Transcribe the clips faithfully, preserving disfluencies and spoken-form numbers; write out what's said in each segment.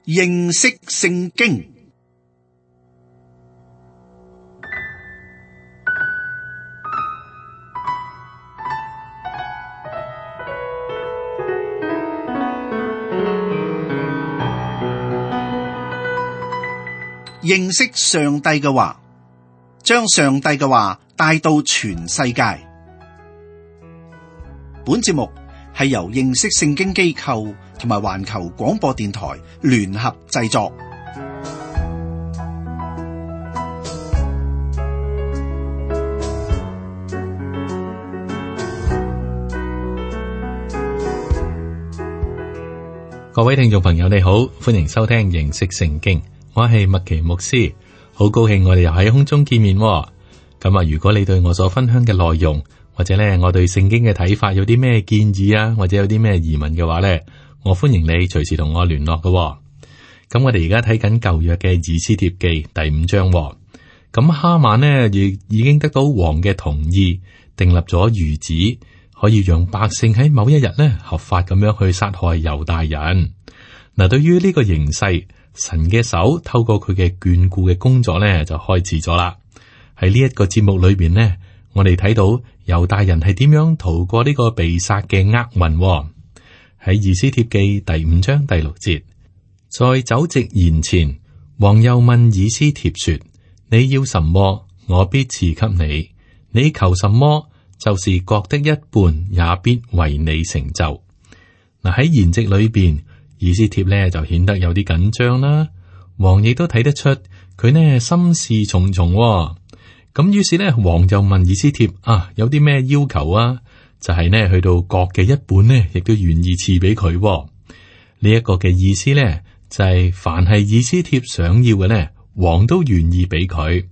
認識聖經。認識上帝嘅話，將上帝嘅話帶到全世界。本節目係由認識聖經機構同埋環球廣播電台聯合製作。各位聽眾朋友，你好，歡迎收聽認識聖經。我係麥奇牧師，好高興我哋又喺空中見面。咁啊，如果你對我所分享嘅內容，或者咧我對聖經嘅睇法有啲咩建議啊，或者有啲咩疑問嘅話咧，我歡迎你隨時同我聯絡嘅。咁我哋而家睇緊舊約嘅以斯帖記第五章。咁哈曼呢亦已經得到王嘅同意，訂立咗諭旨，可以讓百姓喺某一日呢合法咁樣去殺害猶大人。嗱，對於呢個形勢，神嘅手透過佢嘅眷顧嘅工作咧，就開始咗啦。喺呢一個節目裏邊呢，我哋睇到猶大人係點樣逃過呢個被殺嘅厄運。喺以斯帖記第五章第六節，在酒席筵前，王又問以斯帖說：你要什麼，我必賜給你；你求什麼，就是國的一半，也必為你成就。嗱，喺筵席裏邊，以斯帖咧就顯得有啲緊張啦，王亦都睇得出佢呢心事重重。咁於是呢，王就問以斯帖啊，有啲咩要求啊？就係、是、呢，去到國嘅一半呢，亦都願意賜俾佢。呢一個嘅意思呢，就係、是、凡係以斯帖想要嘅呢，王都願意俾佢。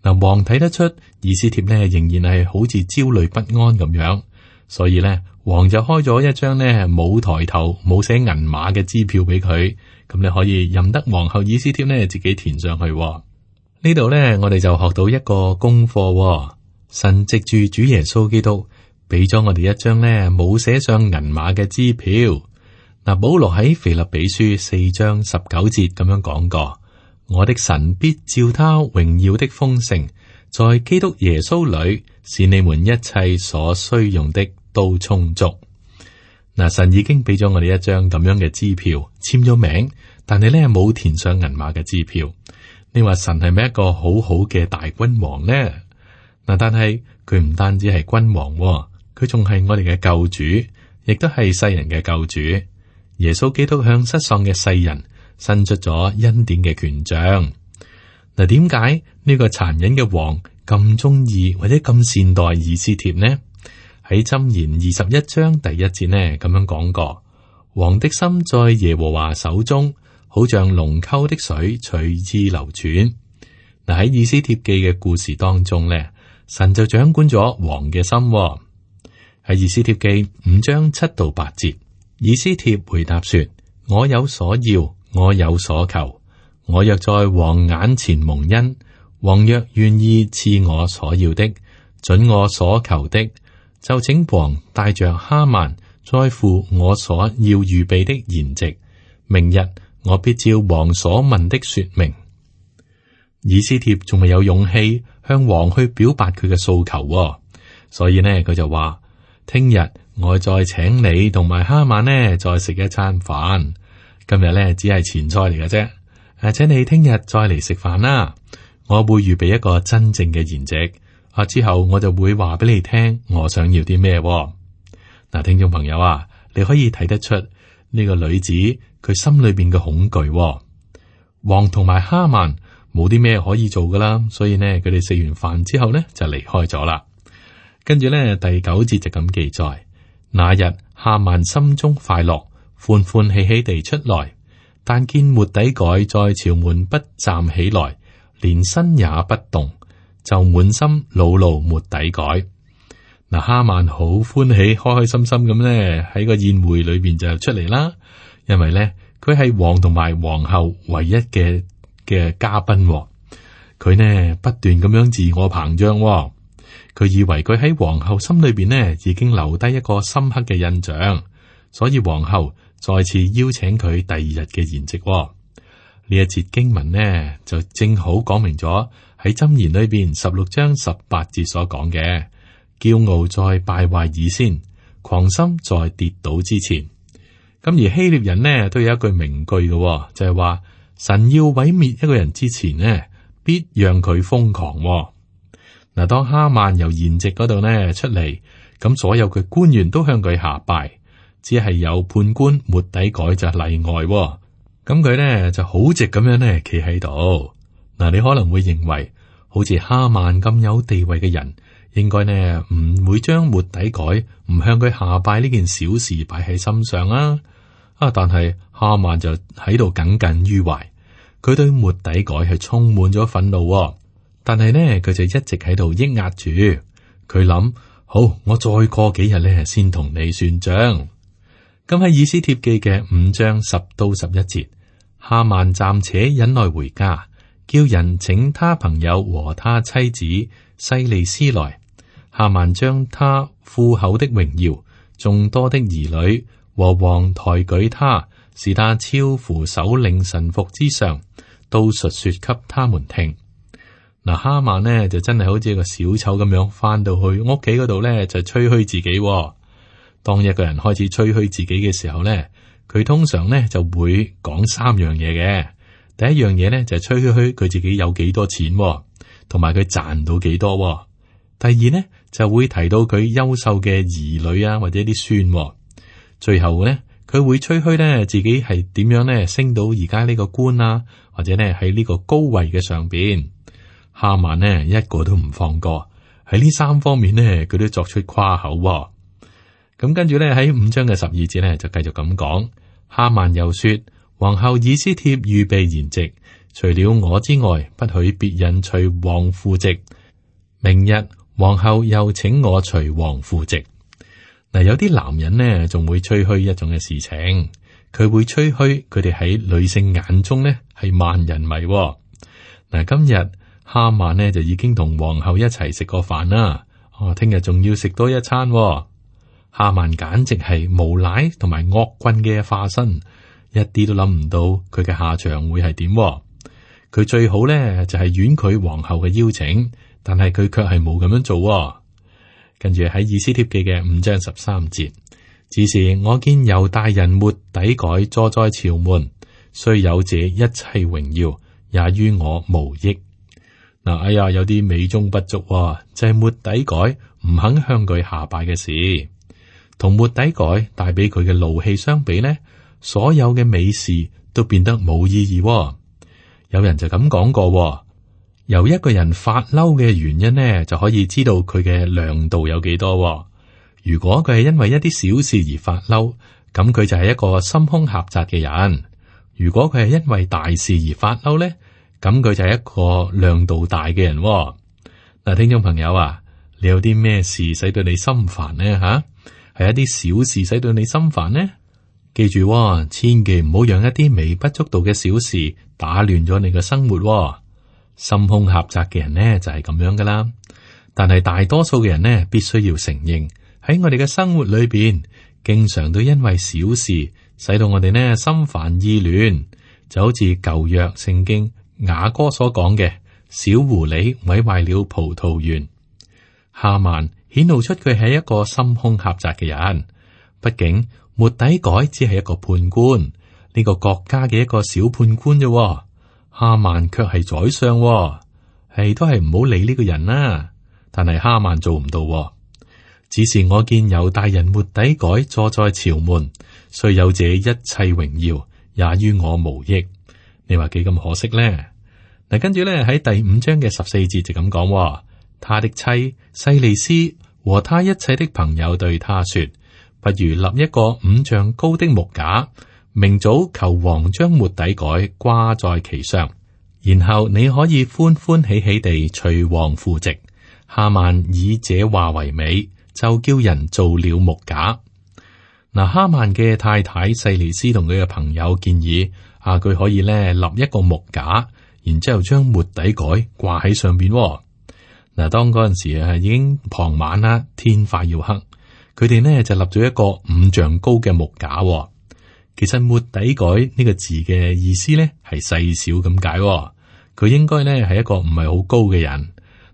嗱，王睇得出以斯帖呢仍然係好似焦慮不安咁樣，所以呢，王就開咗一張呢冇抬頭冇寫銀碼嘅支票俾佢，咁你可以任得皇后以斯帖呢自己填上去。呢度呢，我哋就學到一個功課，神藉住主耶穌基督俾咗我哋一張呢冇寫上銀碼嘅支票。嗱，保羅喺腓立比書四章十九節咁樣講過：我的神必照他榮耀的豐盛，在基督耶穌裏，使你們一切所需用的都充足。嗱，神已經俾咗我哋一張咁樣嘅支票，簽咗名，但係咧冇填上銀碼嘅支票。你話神係咪一個好好嘅大君王呢？嗱，但係佢唔單止係君王，佢仲係我哋嘅救主，亦都係世人嘅救主。耶穌基督向失喪嘅世人伸出咗恩典嘅權杖。嗱，點解呢個殘忍嘅王咁中意或者咁善待以斯帖呢？喺箴言二十一章第一節呢，咁樣講過：王的心在耶和華手中，好像龍溝的水隨意流轉。嗱，喺以斯帖記嘅故事當中呢，神就掌管咗王嘅心。喺以斯帖記五章七到八節，以斯帖回答說：我有所要，我有所求，我若在王眼前蒙恩，王若願意賜我所要的，准我所求的，就請王帶着哈曼在乎我所要預備的筵席，明日我必照王所問的說明。以斯帖仲未有勇氣向王去表達佢嘅訴求，所以呢，佢就話：聽日我再請你同埋哈曼呢再食一餐飯。今日呢只係前菜嚟嘅啫，誒，請你聽日再嚟食飯啦。我會預備一個真正嘅筵席。啊！之後我就會話俾你聽，我想要啲咩？嗱，聽眾朋友啊，你可以睇得出呢個女子佢心裏邊嘅恐懼。王同埋哈曼冇啲咩可以做噶啦，所以呢，佢哋食完飯之後呢就離開咗啦。跟住呢，第九節就咁記載：那日哈曼心中快樂，歡歡喜喜地出來，但見末底改在朝門不站起來，連身也不動，就滿心惱怒末底改。嗱，哈曼好歡喜，開開心心咁咧喺個宴會裏邊就出嚟啦。因為咧佢係王同埋皇后唯一嘅嘅嘉賓，佢呢不斷咁樣自我膨脹，佢以為佢喺皇后心裏邊呢已經留低一個深刻嘅印象，所以皇后再次邀請佢第二日嘅筵席。呢一節經文呢，就正好講明咗喺箴言裏邊十六章十八節所講嘅，驕傲在敗壞以先，狂心在跌倒之前。咁而希臘人呢都有一句名句嘅，就係話神要毀滅一個人之前呢，必讓佢瘋狂。嗱，當哈曼由筵席嗰度呢出嚟，咁所有嘅官員都向佢下拜，只係有判官末底改就例外。咁佢呢就好直咁樣呢企喺度。嗱，你可能會認為好似哈曼咁有地位嘅人，應該呢唔會將末底改唔向佢下拜呢件小事擺喺心上啊。啊，但係哈曼就喺度耿耿於懷，佢對末底改係充滿咗憤怒。但係呢，佢就一直喺度抑壓住。佢諗，好，我再過幾日呢先同你算賬。咁喺以斯帖記嘅五章十到十一節，哈曼暫且忍耐回家，叫人請他朋友和他妻子西利斯來。哈曼將他富厚的榮耀、眾多的兒女和王抬舉他，使他超乎首領臣服之上，都述說給他們聽。嗱，哈曼呢就真係好似一個小丑咁樣，翻到去屋企嗰度呢就吹噓自己。當一個人開始吹噓自己嘅時候咧，佢通常咧就會講三樣嘢嘅。第一樣嘢咧就係吹噓佢自己有幾多錢，同埋佢賺到幾多。第二咧就會提到佢優秀嘅兒女啊，或者啲孫。最後咧佢會吹噓咧自己係點樣咧升到而家呢個官啊，或者咧喺呢個高位嘅上邊。哈曼呢一個都唔放過，喺呢三方面咧佢都作出誇口。咁跟住咧喺五章嘅十二節咧就繼續咁講，哈曼又說：皇后以斯帖預備筵席，除了我之外，不許別人隨王赴席。明日皇后又請我隨王赴席。嗱，有啲男人呢仲會吹噓一種嘅事情，佢會吹噓佢哋喺女性眼中呢係萬人迷。嗱，今日哈曼呢就已經同皇后一齊食過飯啦，哦，聽日仲要食多一餐。哈曼簡直係無賴同埋惡棍嘅化身，一啲都諗唔到佢嘅下場會係點。佢最好咧就係婉拒皇后嘅邀請，但係佢卻係冇咁樣做。跟住喺以斯帖記嘅五章十三節，只是我見猶大人末底改坐在朝門，雖有這一切榮耀，也於我無益。嗱，哎呀，有啲美中不足，就係末底改唔肯向佢下拜嘅事。同末底改帶俾佢嘅怒氣相比呢，所有嘅美事都變得冇意義。有人就咁講過，由一個人發嬲嘅原因呢，就可以知道佢嘅量度有幾多。如果佢係因為一啲小事而發嬲，咁佢就係一個心胸狹窄嘅人；如果佢係因為大事而發嬲呢，咁佢就係一個量度大嘅人。嗱，聽眾朋友啊，你有啲咩事使到你心煩呢？吓？係一啲小事使到你心煩呢？記住喎，千祈唔好讓一啲微不足道嘅小事打亂咗你嘅生活喎。心胸狹窄嘅人呢就係咁樣噶啦。但係大多數嘅人呢，必須要承認喺我哋嘅生活裏邊，經常都因為小事使到我哋呢心煩意亂。就好似舊約聖經雅歌所講嘅，小狐狸毀壞了葡萄園。哈曼顯露出佢係一個心胸狹窄嘅人。畢竟末底改只係一個判官，呢、這個國家嘅一個小判官啫。哈曼卻係宰相，係都係唔好理呢個人啦。但係哈曼做唔到，只是我見猶大人末底改坐在朝門，雖有這一切榮耀，也於我無益。你話幾咁可惜咧？嗱，跟住咧喺第五章嘅十四節就咁講，他的妻西利斯和他一切的朋友對他說：不如立一個五丈高的木架，明早求王將末底改掛在其上，然後你可以歡歡喜喜地隨王赴席。哈曼以這話為美，就叫人做了木架。嗱，哈曼嘅太太西利斯同佢嘅朋友建議啊，佢可以咧立一個木架，然之後將末底改掛喺上邊。嗱，當嗰陣時啊，已經傍晚啦，天快要黑，佢哋呢就立咗一個五丈高嘅木架。其實末底改呢個字嘅意思咧係細小咁解，佢應該咧係一個唔係好高嘅人。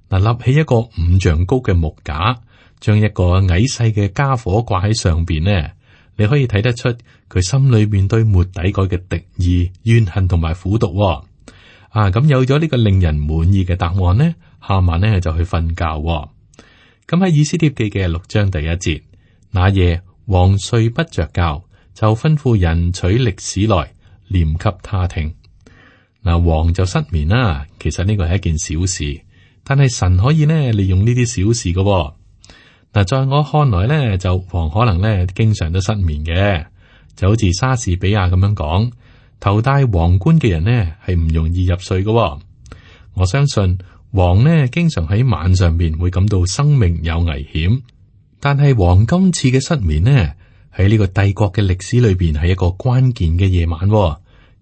嗱，立起一個五丈高嘅木架，將一個矮細嘅家伙掛喺上邊呢，你可以睇得出佢心裏邊對末底改嘅敵意、怨恨同埋苦毒。啊，咁有咗呢個令人滿意嘅答案呢，哈曼呢就去瞓覺。咁喺以斯帖記嘅六章第一節，那夜王睡不着覺，就吩咐人取歷史來念給他聽。嗱，王就失眠啦。其實呢個係一件小事。但係神可以呢利用呢啲小事嘅。嗱，在我看來呢，就王可能呢經常都失眠嘅，就好似莎士比亞咁樣講，頭戴皇冠嘅人呢係唔容易入睡嘅。我相信王呢經常喺晚上邊會感到生命有危險，但係王今次嘅失眠呢喺呢個帝國嘅歷史裏邊係一個關鍵嘅夜晚，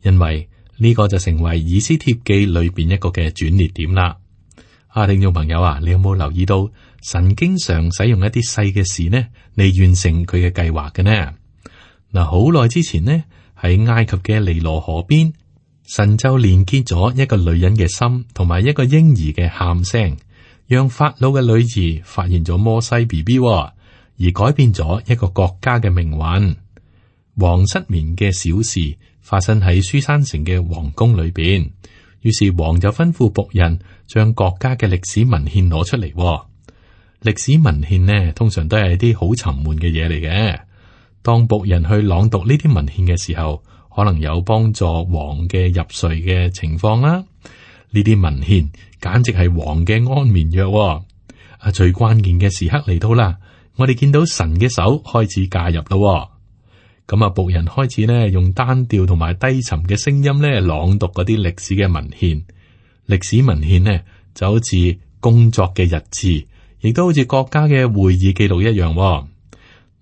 因為呢個就成為以斯帖記裏邊一個嘅轉捩點啦。啊，聽眾朋友啊，你有冇留意到神經常使用一啲細嘅事呢嚟完成佢嘅計劃嘅呢？嗱，好耐之前呢，喺埃及嘅尼羅河邊，神就連結咗一個女人嘅心同埋一個嬰兒嘅喊聲，讓法老嘅女兒發現咗摩西 B B， 而改變咗一個國家嘅命運。王失眠嘅小事發生喺書珊城嘅皇宮裏邊。於是王就吩咐僕人將國家嘅歷史文獻攞出嚟。歷史文獻呢，通常都係啲好沉悶嘅嘢嚟嘅。當僕人去朗讀呢啲文獻嘅時候，可能有幫助王嘅入睡嘅情況啦。呢啲文獻簡直係王嘅安眠藥。啊，最關鍵嘅時刻嚟到啦，我哋見到神嘅手開始介入咯。咁啊，僕人開始咧用單調同埋低沉嘅聲音咧朗讀嗰啲歷史嘅文獻。歷史文獻呢就好似工作嘅日誌，亦都好似國家嘅會議記錄一樣。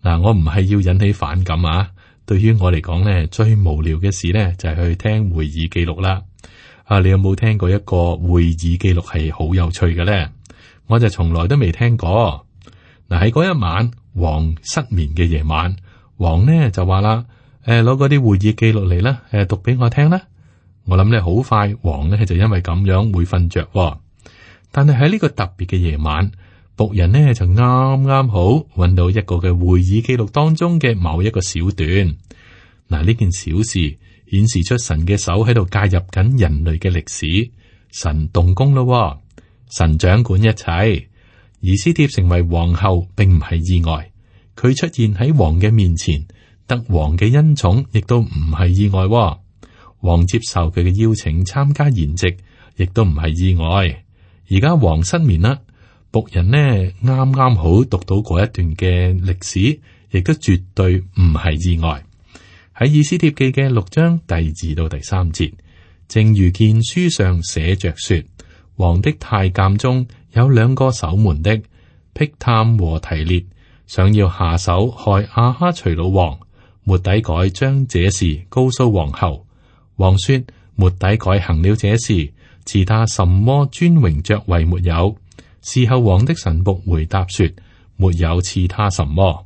嗱，我唔係要引起反感啊。對於我嚟講咧，最無聊嘅事咧就係去聽會議記錄啦。啊，你有冇聽過一個會議記錄係好有趣嘅咧？我就從來都未聽過。嗱，喺嗰一晚王失眠嘅夜晚。王呢就話啦，誒，攞嗰啲會議記錄嚟啦，誒，讀俾我聽啦。我諗咧好快，王呢就因為咁樣會瞓着。但係喺呢個特別嘅夜晚，僕人呢就啱啱好揾到一個嘅會議記錄當中嘅某一個小段。嗱，呢件小事顯示出神嘅手喺度介入緊人類嘅歷史，神動工咯，神掌管一切。以斯帖成為皇后，並唔係意外。佢出現喺王嘅面前，得王嘅恩寵，亦都唔係意外。王接受佢嘅邀請參加筵席，亦都唔係意外。而家王失眠啦，僕人呢啱啱好讀到嗰一段嘅歷史，亦都絕對唔係意外。喺以斯帖記嘅六章第二到第三節，正如見書上寫着說，王的太監中有兩個守門的，辟探和提列，想要下手害亞哈隨魯王。末底改將這事告訴皇后。王說：末底改行了這事，賜他什麼尊榮爵位沒有？事後王的臣僕回答說：沒有賜他什麼。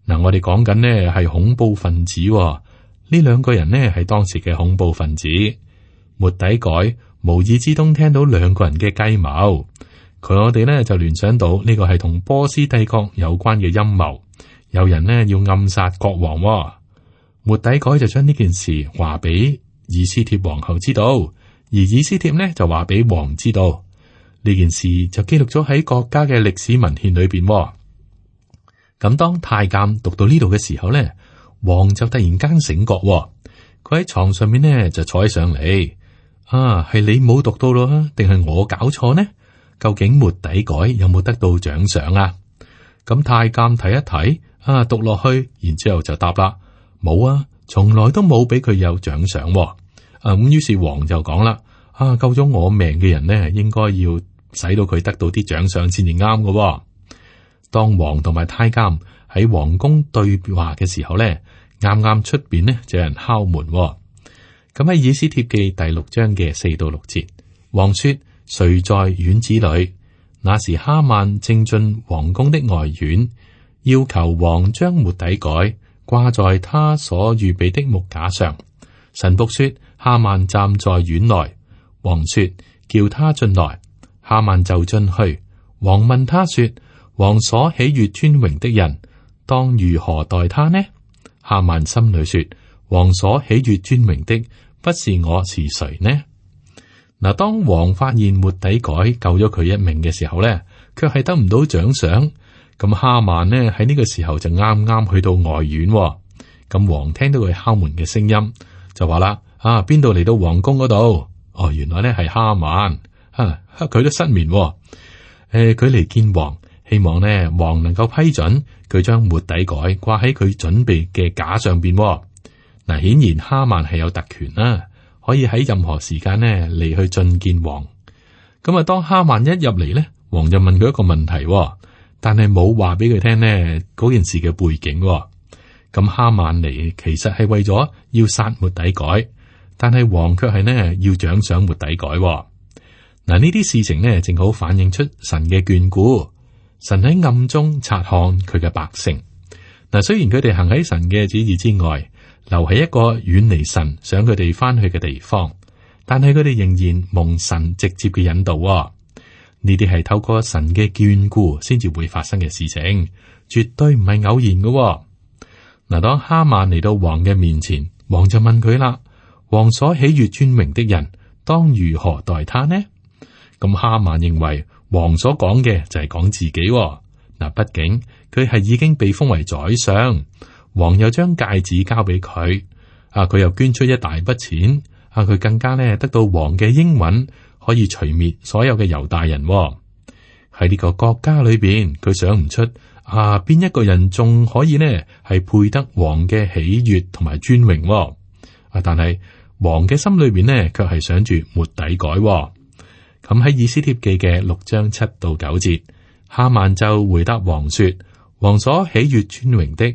嗱，我哋講緊呢係恐怖分子，呢兩個人呢係當時嘅恐怖分子。末底改無意之中聽到兩個人嘅計謀。佢我哋咧就聯想到呢個係同波斯帝國有關嘅陰謀，有人呢要暗殺國王。末底改就將呢件事話俾以斯帖皇后知道，而以斯帖呢就話俾王知道。呢件事就記錄咗喺國家嘅歷史文獻裏邊。咁當太監讀到呢度嘅時候呢，王就突然間醒覺，佢喺床上面呢就坐起上嚟。啊，係你冇讀到咯，定係我搞錯呢？究竟末底改有冇得到獎賞啊？咁太監睇一睇，啊，讀落去，然之後就答啦，冇啊，從來都冇俾佢有獎賞。啊，咁於是王就講啦，啊，救咗我命嘅人呢，應該要使到佢得到啲獎賞先至啱嘅。當王同埋太監喺皇宮對話嘅時候呢，啱啱出邊呢就有人敲門。咁喺以斯帖記第六章嘅四到六節，王說：誰在院子裏？那時哈曼正進皇宮的外院，要求王將末底改掛在他所預備的木架上。神僕說：哈曼站在院內。王說：叫他進來。哈曼就進去。王問他說：王所喜悅尊榮的人，當如何待他呢？哈曼心裏說：王所喜悅尊榮的，不是我是誰呢？嗱，當王發現末底改救咗佢一命嘅時候咧，卻係得唔到獎賞。咁哈曼呢喺呢個時候就啱啱去到外院。咁王聽到佢敲門嘅聲音，就話啦：啊，邊度嚟到皇宮嗰度？哦，原來咧係哈曼。啊，佢都失眠。誒、呃，佢嚟見王，希望呢王能夠批准佢將末底改掛喺佢準備嘅架上邊。嗱，顯然哈曼係有特權啦，可以喺任何時間呢嚟去進見王。咁啊，當哈曼一入嚟呢，王就問佢一個問題，但係冇話俾佢聽呢嗰件事嘅背景。咁哈曼嚟其實係為咗要殺末底改，但係王卻係呢要獎賞末底改。嗱，呢啲事情呢正好反映出神嘅眷顧，神喺暗中察看佢嘅百姓。嗱，雖然佢哋行喺神嘅旨意之外，留喺一個遠離神想佢哋翻去嘅地方，但係佢哋仍然蒙神直接嘅引導。呢啲係透過神嘅眷顧先至會發生嘅事情，絕對唔係偶然嘅。嗱，當哈曼嚟到王嘅面前，王就問佢啦：王所喜悅尊榮的人，當如何待他呢？咁哈曼認為王所講嘅就係講自己。嗱，畢竟佢係已經被封為宰相，王又將戒指交俾佢，啊，佢又捐出一大筆錢，啊，佢更加咧得到王嘅應允，可以除滅所有嘅猶大人。喺呢個國家裏邊，佢想唔出啊邊一個人仲可以呢係配得王嘅喜悅同埋尊榮。啊，但係王嘅心裏邊呢，卻係想住末底改。咁喺以斯帖記嘅六章七到九節，哈曼就回答王說：王所喜悅尊榮的，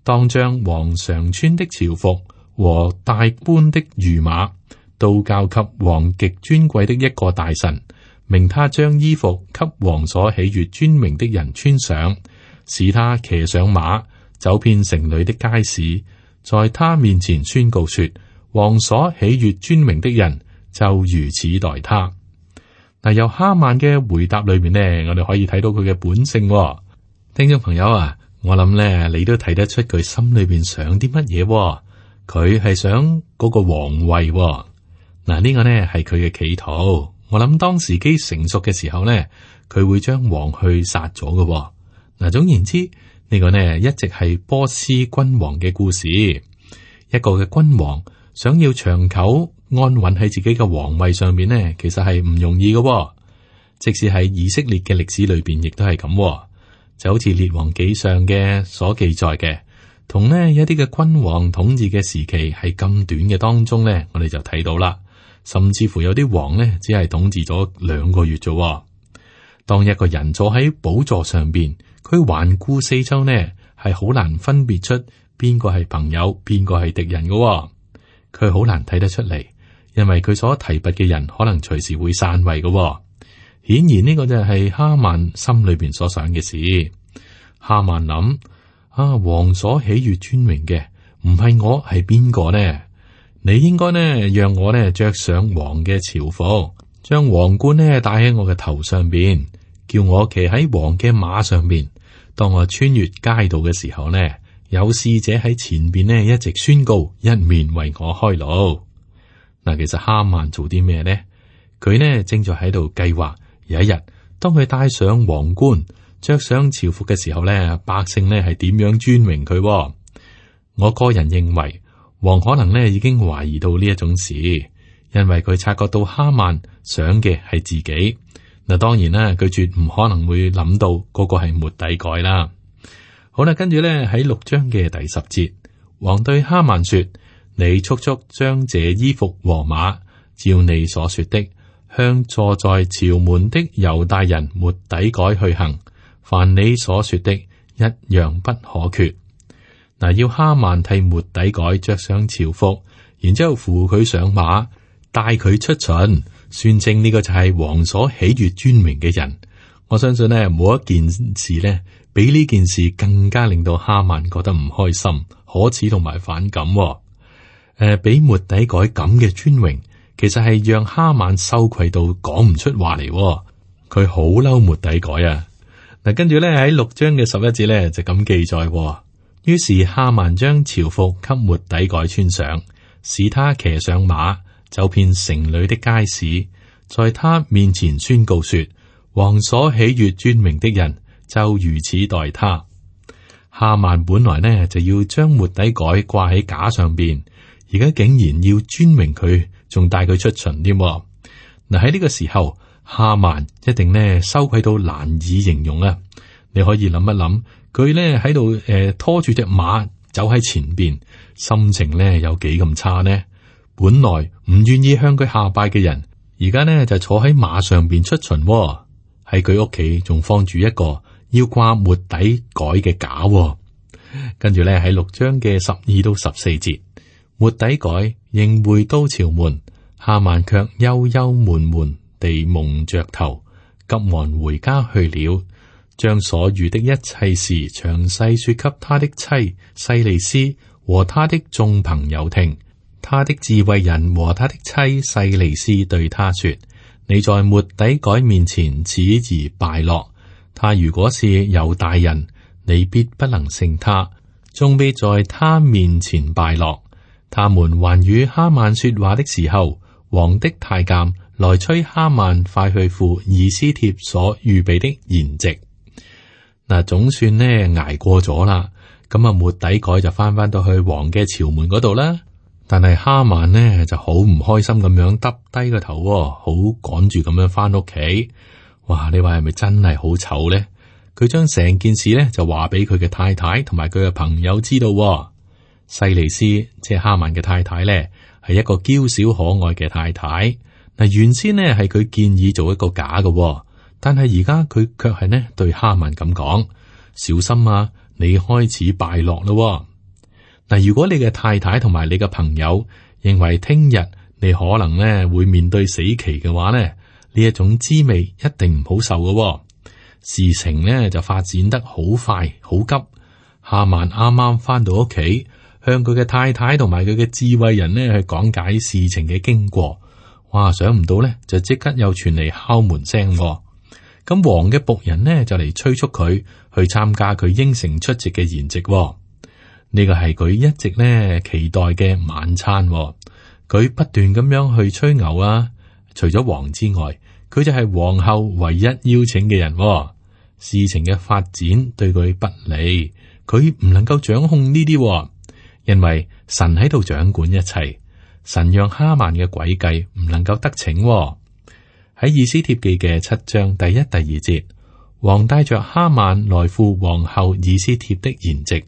當將王常穿的朝服和大般的御馬，都交給王極尊貴的一個大臣，命他將衣服給王所喜悅尊榮的人穿上，使他騎上馬，走遍城裏的街市，在他面前宣告說：王所喜悅尊榮的人，就如此待他。嗱，由哈曼嘅回答裏面呢，我哋可以睇到佢嘅本性。聽眾朋友啊，我諗咧，你都睇得出佢心裏邊想啲乜嘢。佢係想嗰個皇位。嗱，呢個呢係佢嘅企圖。我諗當時機成熟嘅時候呢，佢會將王去殺咗嘅。嗱，總言之，呢個呢一直係波斯君王嘅故事。一個嘅君王想要長久安穩喺自己嘅皇位上面呢，其實係唔容易嘅。即使喺以色列嘅歷史裏邊，亦都係咁。就好似列王紀上嘅所記載嘅，同呢一啲嘅君王統治嘅時期係咁短嘅當中呢，我哋就睇到啦。甚至乎有啲王呢，只係統治咗兩個月啫。當一個人坐喺寶座上邊，佢環顧四周呢，係好難分別出邊個係朋友，邊個係敵人嘅。佢好難睇得出嚟，因為佢所提拔嘅人可能隨時會散位嘅。顯然呢個就係哈曼心裏邊所想嘅事。哈曼諗：啊，王所喜悅尊榮嘅，唔係我，係邊個呢？你應該呢，讓我呢着上王嘅朝服，將皇冠呢戴喺我嘅頭上邊，叫我騎喺王嘅馬上邊。當我穿越街道嘅時候呢，有使者喺前邊呢一直宣告，一面為我開路。嗱，其實哈曼做啲咩呢？佢呢正在喺度計劃。有一日，當佢戴上皇冠、着上朝服嘅時候咧，百姓咧係點樣尊榮佢？我個人認為，王可能咧已經懷疑到呢一種事，因為佢察覺到哈曼想嘅係自己。嗱，當然啦，佢絕唔可能會諗到嗰個係末底改啦。好啦，跟住咧喺六章嘅第十節，王對哈曼說：你速速將這衣服和馬，照你所說的，向坐在朝門的猶大人末底改去行，凡你所說的，一樣不可缺。嗱，要哈曼替末底改着上朝服，然之後扶佢上馬，帶佢出巡，宣稱呢個就係王所喜悅尊榮嘅人。我相信呢，冇一件事呢，比呢件事更加令到哈曼覺得唔開心，好可恥同埋反感、哦。誒、呃，俾末底改咁嘅尊榮，其實係讓哈曼羞愧到講唔出話嚟、哦。佢好嬲末底改啊！嗱，跟住咧喺六章嘅十一節咧就咁記載、哦。於是哈曼將朝服給末底改穿上，使他騎上馬，走遍城裏的街市，在他面前宣告說：王所喜悅尊榮的人，就如此待他。哈曼本來呢就要將末底改掛喺架上邊，而家竟然要尊榮佢，仲帶佢出巡添。嗱，喺呢個時候，哈曼一定呢羞愧到難以形容啊！你可以諗一諗，佢呢喺度誒拖住隻馬走喺前邊，心情呢有幾咁差呢？本來唔願意向佢下拜嘅人，而家呢就坐喺馬上邊出巡，喺佢屋企仲放住一個要掛末底改嘅架。跟住呢喺六章嘅十二到十四節，末底改仍回到朝門，哈曼卻憂憂悶悶地蒙着頭，急忙回家去了，將所遇的一切事詳細說給他的妻細利斯和他的眾朋友聽。他的智慧人和他的妻細利斯對他說：你在末底改面前始而敗落，他如果是猶大人，你必不能勝他，終必在他面前敗落。他們還與哈曼說話的時候，王的太監來催哈曼快去赴以斯帖所預備的筵席。嗱，總算呢捱過咗啦，咁啊末底改就翻翻到去王嘅朝門嗰度啦。但係哈曼呢就好唔開心咁樣耷低個頭，好趕住咁樣翻屋企。哇！你話係咪真係好醜呢？佢將成件事呢就話俾佢嘅太太同埋佢嘅朋友知道。細利斯即係哈曼嘅太太呢，係一個嬌小可愛嘅太太。嗱，原先呢係佢建議做一個假嘅，但係而家佢卻係呢對哈曼咁講：小心啊，你開始敗落咯。嗱，如果你嘅太太同埋你嘅朋友認為聽日你可能咧會面對死期嘅話咧，呢一種滋味一定唔好受嘅。事情咧就發展得好快好急。哈曼啱啱翻到屋企，向佢嘅太太同埋佢嘅智慧人咧去講解事情嘅經過。哇，想唔到咧就即刻又傳嚟敲門聲。咁王嘅僕人呢，就嚟催促佢去參加佢應承出席嘅筵席。呢個係佢一直咧期待嘅晚餐。佢不斷咁樣去吹牛啊！除咗王之外，佢就係皇后唯一邀請嘅人。事情嘅發展對佢不利，佢唔能夠掌控呢啲，因為神喺度掌管一切。神讓哈曼嘅詭計唔能夠得逞。喺以斯帖記嘅七章第一、第二節，王帶着哈曼來赴皇后以斯帖的筵席。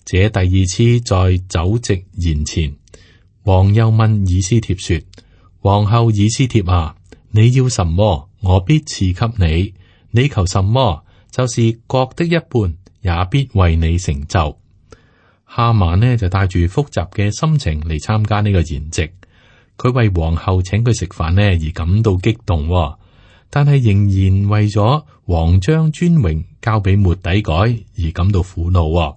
這第二次在酒席筵前，王又問以斯帖說：皇后以斯帖啊，你要什麼，我必賜給你；你求什麼，就是國的一半，也必為你成就。哈曼呢就帶住複雜嘅心情嚟參加呢個筵席，佢為皇后請佢食飯呢而感到激動，但係仍然為咗王將尊榮交俾末底改而感到苦惱。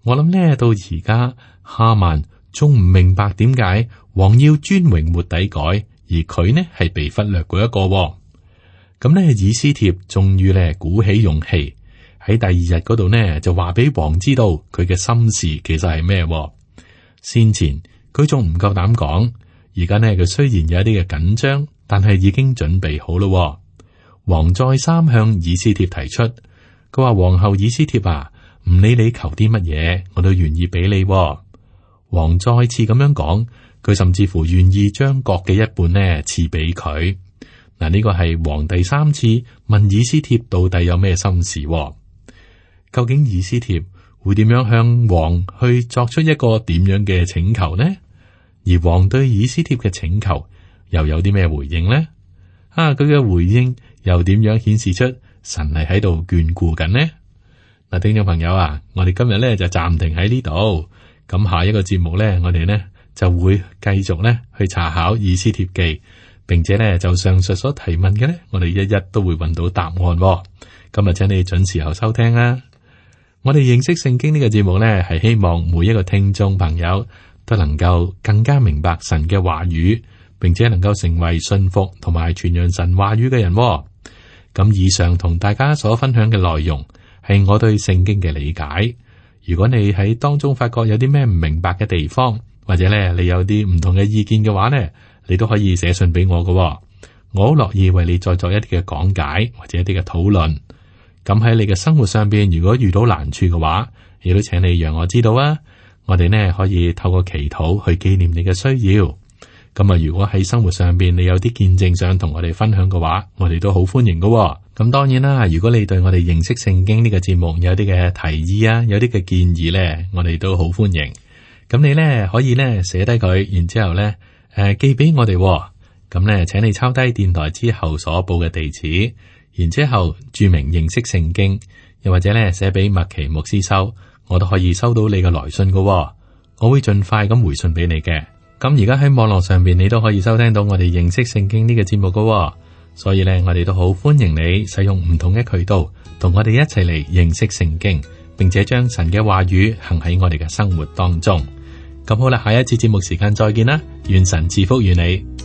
我諗呢，到而家哈曼仲唔明白點解王要尊榮末底改，而佢呢係被忽略嗰一個。咁呢，以斯帖終於呢鼓起勇氣喺第二日嗰度呢就話俾王知道佢嘅心事其實係咩。先前佢仲唔夠膽講，而家呢佢雖然有一啲嘅緊張，但係已經準備好咯。王再三向以斯帖提出，佢話：皇后以斯帖啊，唔理你求啲乜嘢，我都願意俾你。王再次咁樣講，佢甚至乎願意將國嘅一半呢賜俾佢。嗱，呢個係王第三次問以斯帖到底有咩心事。究竟以斯帖會點樣向王去作出一個點樣嘅請求呢？而王對以斯帖嘅請求又有啲咩回應呢？啊，佢嘅回應又點樣顯示出神係喺度眷顧緊呢？嗱，聽眾朋友啊，我哋今日咧就暫停喺呢度，咁下一個節目咧，我哋呢就會繼續咧去查考以斯帖記，並且咧就上述所提問嘅咧，我哋一一都會揾到答案。咁啊，請你準時候收聽啦。我哋認識聖經呢個節目呢，係希望每一個聽眾朋友都能夠更加明白神嘅話語，並且能夠成為信服同埋傳揚神話語嘅人。咁以上同大家所分享嘅內容係我對聖經嘅理解。如果你喺當中發覺有啲咩唔明白嘅地方，或者咧你有啲唔同嘅意見嘅話呢，你都可以寫信俾我㗎。我好樂意為你再作一啲嘅講解或者一啲嘅討論。咁喺你嘅生活上邊，如果遇到難處嘅話，亦都請你讓我知道啊。我哋呢可以透過祈禱去紀念你嘅需要。咁啊，如果喺生活上邊你有啲見證想同我哋分享嘅話，我哋都好歡迎㗎。咁當然啦，如果你對我哋認識聖經呢個節目有啲嘅提議啊，有啲嘅建議呢，我哋都好歡迎。咁你呢可以呢寫低佢，然之後呢誒、呃、寄俾我哋。咁呢，請你抄低電台之後所報嘅地址，然之後注明認識聖經，又或者呢寫俾麥奇牧師收，我都可以收到你嘅來信㗎。我會盡快咁回信俾你嘅。咁而家喺網絡上邊，你都可以收聽到我哋認識聖經呢個節目㗎。所以咧，我哋都好歡迎你使用唔同嘅渠道，同我哋一齊嚟認識聖經，並且將神嘅話語行喺我哋嘅生活當中。咁好啦，下一次節目時間再見啦，願神賜福於你。